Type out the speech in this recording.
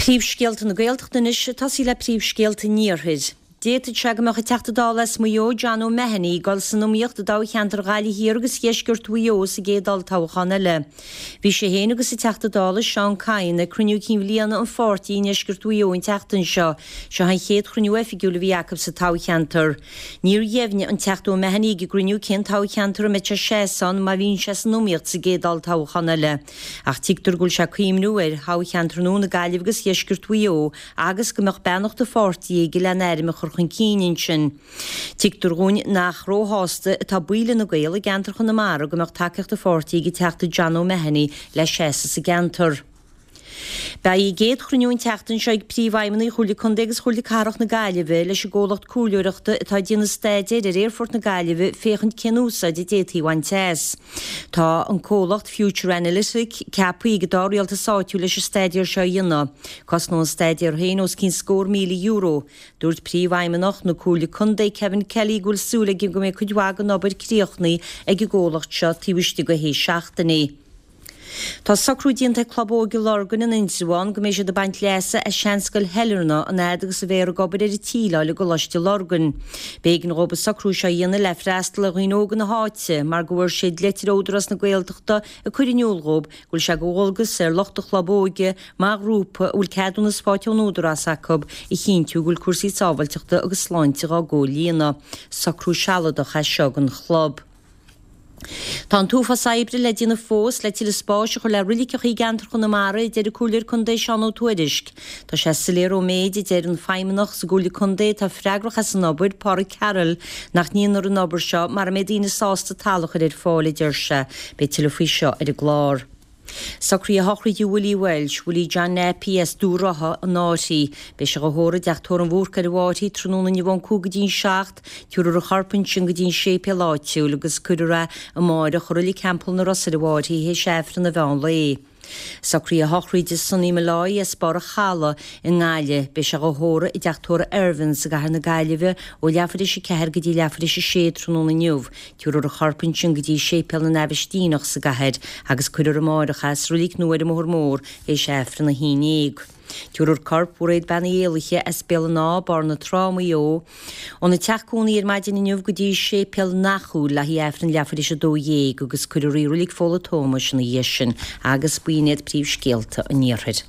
Príomhscéalta na Gaeltachta anois, ag tosaí le príomhscéalta an Iarthair. D'fhéadfadh sé go mbeadh an Teachta Dála as Maigh Eo, John O'Mahony, ag dul san iomaíocht i dtoghcheantar Ghaillimh Thiar agus Dheisceart Mhaigh Eo sa gcéad olltoghchán eile. Bhí sé féin agus an Teachta Dála Seán Kyne ag cruinniú cinn bhliana an pháirtí i ndeisceart Mhaigh Eo an tseachtain seo. Seo an chéad chruinniú oifigiúil a bhí acu sa toghcheantar. Níor dheimhnigh an Teachta O'Mahony ag an gcruinniú cén toghcheantar a mbeidh sé ag seasamh ann má bhíonn sé san iomaíocht sa gcéad olltoghchán eile. Ach tuigtear go bhfuil sé ag cuimhniú ar thoghcheantar nua na Gaillimhe agus Dheisceart Mhaigh Eo agus go mbeadh beannacht an pháirtí aige lena ainm a chur chun cinn ansin. Tuigtear dhúinn nach róshásta atá baill Fhine Gael i gceantar Chonamara go mbeadh tacaíocht an pháirtí ag an Teachta John O'Mahony le seasamh sa gceantar. Beidh a gcéad chruinniú an tseachtain seo ag Príomhfheidhmeannaigh Chomhairle Contae agus Chomhairle Cathrach na Gaillimhe leis an gcomhlacht comhairleoireachta atá ag déanamh staidéir ar Aerfort na Gaillimhe féachaint cén úsáid a d'fhéadfaí a bhaint as. Tá an comhlacht Future Analytic ceaptha ag an dá rialtas áitiúil leis an staidéar seo a dhéanamh. Cosnóidh an staidéar féin os cionn scór €1,000. Dúirt Príomhfheidhmeannach na Comhairle Contae Kevin Kelly go bhfuil súil aige go mbeidh cuid mhaith den obair críochnaithe ag an gcomhlacht seo taobh istigh de shé seachtainí. Tá socrú déanta ag Club Óige Lurgan in Indreabhán go mbeidh siad ag baint leasa as seanscoil Shailearna an fhad agus a bheifear ag obair ar an tsíleáil i gColáiste Lurgan. B'éigean dhóibh an socrú seo a dhéanamh le freastal ar dhaoine óga na háite mar go bhfuair siad leitir ó Údarás na Gaeltachta ag cur in iúl dhóibh go bhfuil sé de dhualgas ar lucht an chlub óige mar ghrúpa a bhfuil ceadúnas faighte ón Údarás acu a chinntiú go bhfuil cúrsaí sábháilteachta agus sláinte dhá gcomhlíonadh. Socrú sealadach é seo don chlub. Tá an t-uafás oibre le déanamh fós le tuilleadh spáis a chur le roiliceacha i gceantar Chonamara, a deir an Comhairleoir Contae Seán Ó Tuairisg. Tá sé soiléir ón méid a deir an feidhmeannach sa gComhairle Contae atá freagrach as an obair, Pádraig Carroll, nach ndéanfar an obair seo mara mbeidh daoine sásta talamh a chur ar fáil, a deir sé. Beidh tuilleadh faoi seo ar an gclár. Socruithe shochraide Willie Walsh, Willie John Nappy as Dún Rotha, an Fhairche. Beidh sé dhá thórramh i dTeach Tórraimh an Bhúrcaigh ar an bhFairche tráthnóna inniu ón 5 go dtí an 7. Tabharfar a chorp ansin go dtí an séipéal áitiúil agus cuirfear é amáireach i Reilig Theampall na Ros ar an bhFairche théis Aifreann an mheán lae. Socruithe shochraide Sonny Molloy as Barr an Chalaidh i nGaillimh. Beidh sé dhá thórramh i dTeach Tórraimh Irvines i gCathair na Gaillimhe ó leathuair théis 4 go dtí leathuair théis 6 tráthnóna inniu. Tabharfar a chorp ansin go dtí Séipéal na nAibhistíneach sa gcathair agus cuirfear amáireach é sa reilig nua ar an mBóthar Mór théis Aifreann a haon dhéag. Tabharfar corp Mhairéad Bean Uí Éalaithe as Béal an Átha, Barr na Trá, Maigh Eo, óna teach cónaí ar maidin inniu go dtí Séipéal an Eachúil le haghaidh Aifreann leathuair théis 12 agus cuirfear í i Reilig Fódhla Tómais ina dhiaidh sin agus b'in iad príomhscéalta an Iarthair.